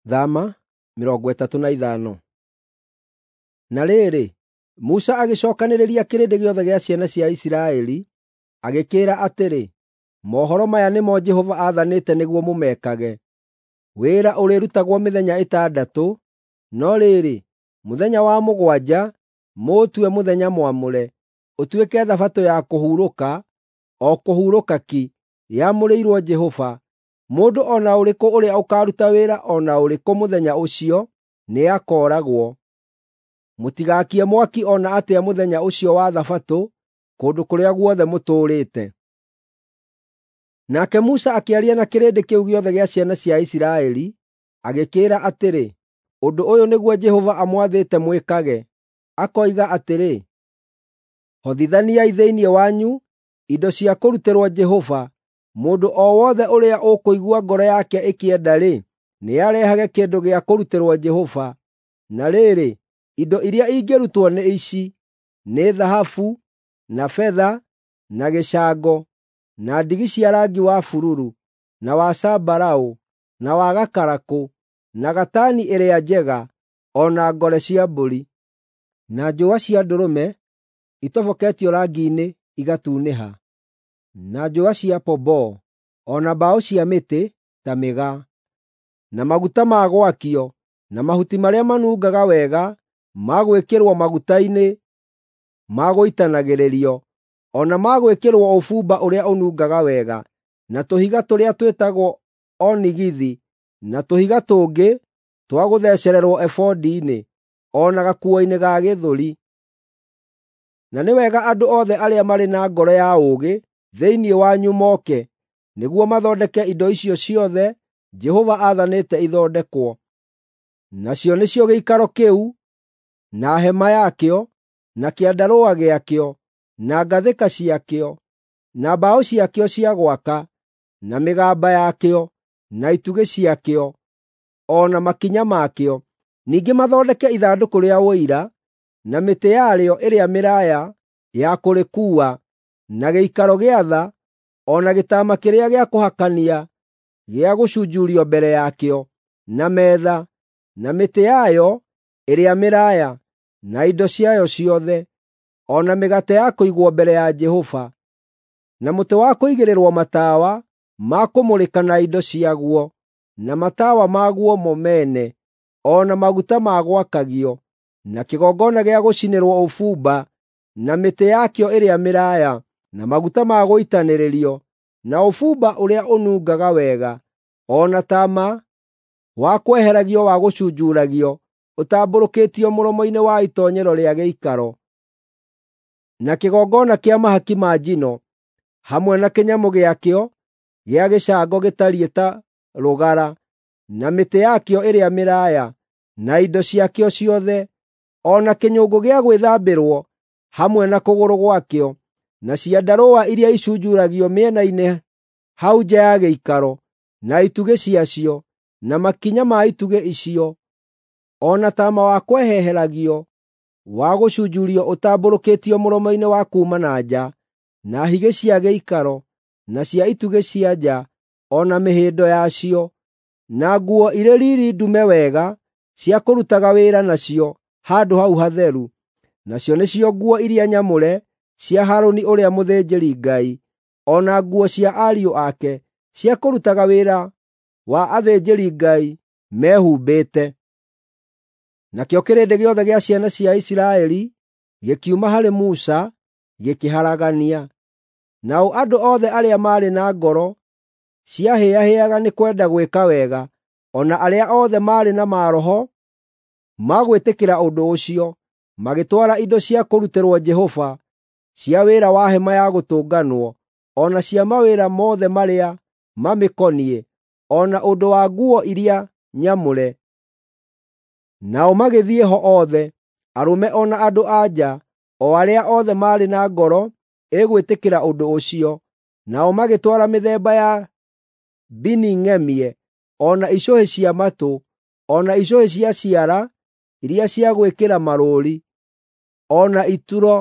Thama 35. Na rĩrĩ, Musa agĩcookanĩrĩria kĩrĩndĩ gĩothe gĩa ciana cia Isiraeli, agĩkĩĩra atĩrĩ, “Mohoro maya nĩmo Jehova aathanĩte nĩguo mũmekage. Wĩra ũrĩrutagwo mĩthenya ĩtandatũ, no rĩrĩ, mũthenya wa mũgwanja mũũtue mũthenya mwamũre, ũtuĩke Thabatũ ya kũhurũka, o kũhurũka ki, yamũrĩirwo Jehova. Mũndũ o na ũrĩkũ ũrĩa ũkaaruta wĩra o na ũrĩkũ mũthenya ũcio nĩakooragwo. Mũtigaakie mwaki o na atĩa mũthenya ũcio wa Thabatũ kũndũ kũrĩa guothe mũtũũrĩte.” Nake Musa akĩaria na kĩrĩndĩ kĩu gĩothe gĩa ciana cia Isiraeli, agĩkĩĩra atĩrĩ, “Ũndũ ũyũ nĩguo Jehova amwathĩte mwĩkage, akoiga atĩrĩ, ‘Hothithaniai thĩinĩ wanyu indo cia kũrutĩrwo Jehova. Mũndũ o wothe ũrĩa ũkũigua ngoro yake ĩkĩenda-rĩ, nĩarehage kĩndũ gĩa kũrutĩrwo Jehova.’ Na rĩrĩ, indo iria ingĩrutwo nĩ ici: nĩ thahabu, na betha, na gĩcango, na ndigi cia rangi wa bururu, na wa zambarau, na wa gakarakũ, na gatani ĩrĩa njega, o na ngore cia mbũri, na njũa cia ndũrũme itoboketio rangi-inĩ igatunĩha, na njũa cia pomboo, o na mbaũ cia mĩtĩ ta mĩgaa, na maguta ma gwakio, na mahuti marĩa manungaga wega ma gwĩkĩrwo maguta-inĩ ma gũitanagĩrĩrio, o na ma gwĩkĩrwo ũbumba ũrĩa ũnungaga wega, na tũhiga tũrĩa twĩtagwo onigithi, na tũhiga tũngĩ twa gũthecererwo ebodi-inĩ, o na gakuo-inĩ ga gĩthũri. Na nĩ wega andũ othe arĩa marĩ na ngoro ya ũũgĩ thĩinĩ wanyu moke, nĩguo mathondeke indo icio ciothe Jehova aathanĩte ithondekwo. Nacio nĩcio gĩikaro kĩu, na hema yakĩo, na kĩandarũa gĩakĩo, na ngathĩka ciakĩo, na mbaũ ciakĩo cia gwaka, na mĩgamba yakĩo, na itugĩ ciakĩo, o na makinya makĩo. Ningĩ mathondeke ithandũkũ rĩa Ũira, na mĩtĩ yarĩo ĩrĩa mĩraaya ya kũrĩkuua, na gĩikaro gĩa tha, o na gĩtama kĩrĩa gĩa kũhakania gĩa gũcunjurio mbere yakĩo, na metha, na mĩtĩ yayo ĩrĩa mĩraaya, na indo ciayo ciothe, o na mĩgate ya kũigwo mbere ya Jehova, na mũtĩ wa kũigĩrĩrwo matawa ma kũmũrĩka na indo ciaguo, na matawa maguo mo mene, o na maguta ma gwakagio, na kĩgongona gĩa gũcinĩrwo ũbumba, na mĩtĩ yakĩo ĩrĩa mĩraaya, na maguta ma gũitanĩrĩrio, na ũbumba ũrĩa ũnungaga wega, o na taama wa kweheragio wa gũcunjuragio ũtambũrũkĩtio mũromo-inĩ wa itoonyero rĩa gĩikaro, na kĩgongona kĩa mahaki ma njino, hamwe na kĩnyamũ gĩakĩo gĩa gĩcango gĩtariĩ ta rũgara, na mĩtĩ yakĩo ĩrĩa mĩraaya, na indo ciakĩo ciothe, o na kĩnyũngũ gĩa gwĩthambĩrwo hamwe na kũgũrũ gwakĩo, na ciandarũa iria icunjuragio mĩena-inĩ hau nja ya gĩikaro, na itugĩ ciacio, na makinya ma itugĩ icio, o na taama wa kweheheragio wa gũcunjurio ũtambũrũkĩtio mũromo-inĩ wa kuuma na nja, na higĩ cia gĩikaro, na cia itugĩ cia nja, o na mĩhĩndo yacio, na nguo irĩ riiri ndume wega cia kũrutaga wĩra nacio handũ hau hatheru. Nacio nĩcio nguo iria nyamũre cia Harũni ũrĩa mũthĩnjĩri-Ngai, o na nguo cia ariũ ake cia kũrutaga wĩra wa athĩnjĩri-Ngai mehumbĩte. Nakĩo kĩrĩndĩ gĩothe gĩa ciana cia Isiraeli gĩkiuma harĩ Musa gĩkĩharagania. Nao andũ othe arĩa maarĩ na ngoro ciahĩahĩaga nĩ kwenda gwĩka wega, o na arĩa othe maarĩ na maroho ma gwĩtĩkĩra ũndũ ũcio, magĩtwara indo cia kũrutĩrwo Jehova cia wĩra wa hema ya gũtũnganwo, o na cia mawĩra mothe marĩa mamĩkoniĩ, o na ũndũ wa nguo iria nyamũre. Nao magĩthiĩ ho othe, arũme o na andũ-a-nja, o arĩa othe maarĩ na ngoro ĩgwĩtĩkĩra ũndũ ũcio. Nao magĩtwara mĩthemba ya mbini ng'emie, o na icũhĩ cia matũ, o na icũhĩ cia ciara iria cia gwĩkĩra marũũri, o na ituro,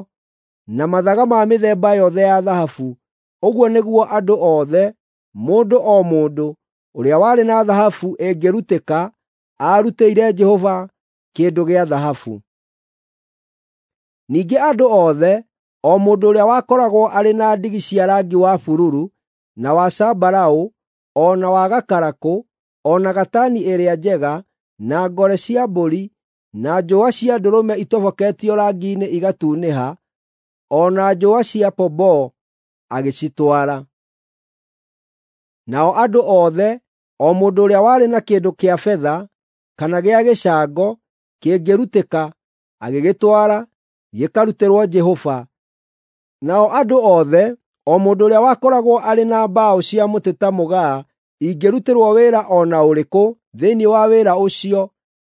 na mathaga ma mĩthemba yothe ya thahabu. Ũguo nĩguo andũ othe, mũndũ o mũndũ, ũrĩa warĩ na thahabu ĩngĩrutĩka, aarutĩire Jehova kĩndũ gĩa thahabu. Ningĩ andũ othe, o mũndũ ũrĩa wakoragwo arĩ na ndigi cia rangi wa bururu, na wa zambarau, o na wa gakarakũ, o na gatani ĩrĩa njega, na ngore cia mbũri, na njũa cia ndũrũme itoboketio rangi-inĩ igatunĩha, o na njũa cia pomboo, agĩcitwara. Nao andũ othe, o mũndũ ũrĩa warĩ na kĩndũ kĩa betha kana gĩa gĩcango kĩngĩrutĩka, agĩgĩtwara gĩkarutĩrwo Jehova. Nao andũ othe, o mũndũ ũrĩa wakoragwo arĩ na mbaũ cia mũtĩ ta mũgaa ingĩrutĩrwo wĩra o na ũrĩkũ thĩinĩ wa wĩra ũcio,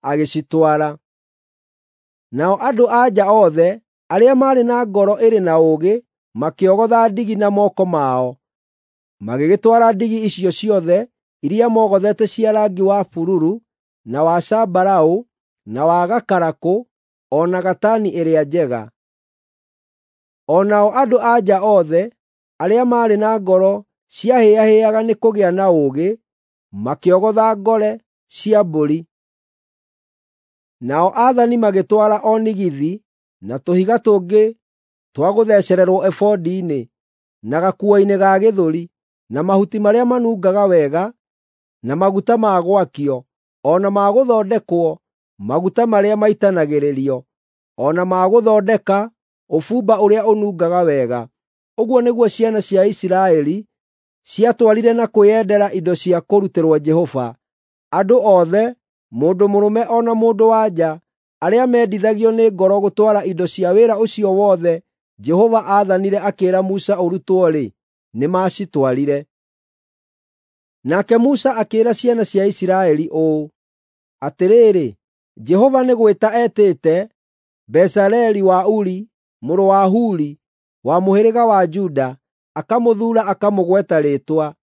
agĩcitwara. Nao andũ-a-nja othe arĩa maarĩ na ngoro ĩrĩ na ũũgĩ makĩogotha ndigi na moko mao. Magĩgĩtwara ndigi icio ciothe iria mogothete cia rangi wa bururu, na wa zambarau, na wa gakarakũ, o na gatani ĩrĩa njega. O nao andũ-a-nja othe arĩa maarĩ na ngoro ciahĩahĩaga nĩ kũgĩa na ũũgĩ, makĩogotha ngore cia mbũri. Nao aathani magĩtwara onigithi na tũhiga tũngĩ twa gũthecererwo ebodi-inĩ, na gakuo-inĩ ga gĩthũri, na mahuti marĩa manungaga wega, na maguta ma gwakio, o na ma gũthondekwo maguta marĩa maitanagĩrĩrio, o na ma gũthondeka ũbumba ũrĩa ũnungaga wega. Ũguo nĩguo ciana cia Isiraeli ciatwarire na kwĩyendera indo cia kũrutĩrwo Jehova. Andũ othe, mũndũ mũrũme o na mũndũ-wa-nja, arĩa mendithagio nĩ ngoro gũtwara indo cia wĩra ũcio wothe Jehova aathanire akĩĩra Musa ũrutwo-rĩ, nĩmacitwarire. Nake Musa akĩĩra ciana cia Isiraeli ũũ, “Atĩrĩrĩ, Jehova nĩ gwĩta etĩte Bezaleli wa Uri mũrũ wa Huri wa mũhĩrĩga wa Juda, akamũthuura akamũgweta rĩĩtwa,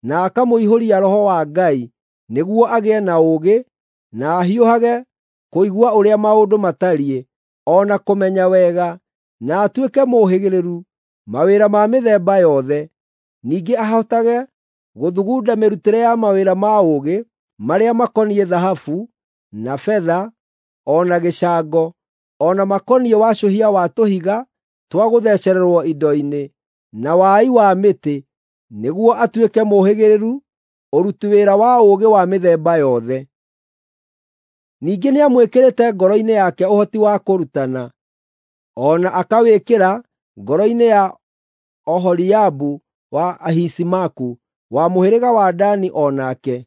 na akamũihũria Roho wa Ngai, nĩguo agĩe na ũũgĩ, na ahiũhage kũigua ũrĩa maũndũ matariĩ, o na kũmenya wega, na atuĩke mũũhĩgĩrĩru mawĩra ma mĩthemba yothe, ningĩ ahotage gũthugunda mĩrutĩre ya mawĩra ma ũũgĩ marĩa makoniĩ thahabu, na betha, o na gĩcango, o na makoniĩ wacũhia wa tũhiga twa gũthecererwo indo-inĩ, na wai wa mĩtĩ, nĩguo atuĩke mũũhĩgĩrĩru ũruti wĩra wa ũũgĩ wa mĩthemba yothe. Ningĩ nĩamwĩkĩrĩte ngoro-inĩ yake ũhoti wa kũrutana, o na akawĩkĩra ngoro-inĩ ya Oholiabu wa Ahisamaku wa mũhĩrĩga wa Dani o nake.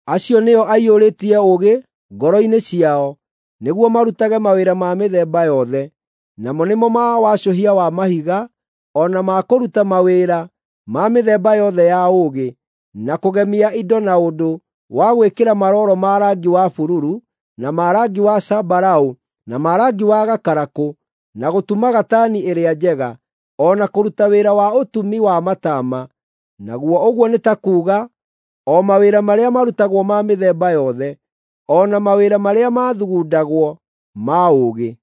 Acio nĩo aiyũrĩtie ũũgĩ ngoro-inĩ ciao nĩguo marutage mawĩra ma mĩthemba yothe, namo nĩmo ma wacũhia wa mahiga, o na ma kũruta mawĩra ma mĩthemba yothe ya ũũgĩ, na kũgemia indo na ũndũ wa gwĩkĩra maroro ma rangi wa bururu, na ma rangi wa zambarau, na ma rangi wa gakarakũ, na gũtuma gatani ĩrĩa njega, o na kũruta wĩra wa ũtumi wa mataama, naguo ũguo nĩ ta kuuga o mawĩra marĩa marutagwo ma mĩthemba yothe, o na mawĩra marĩa mathugundagwo ma ũũgĩ.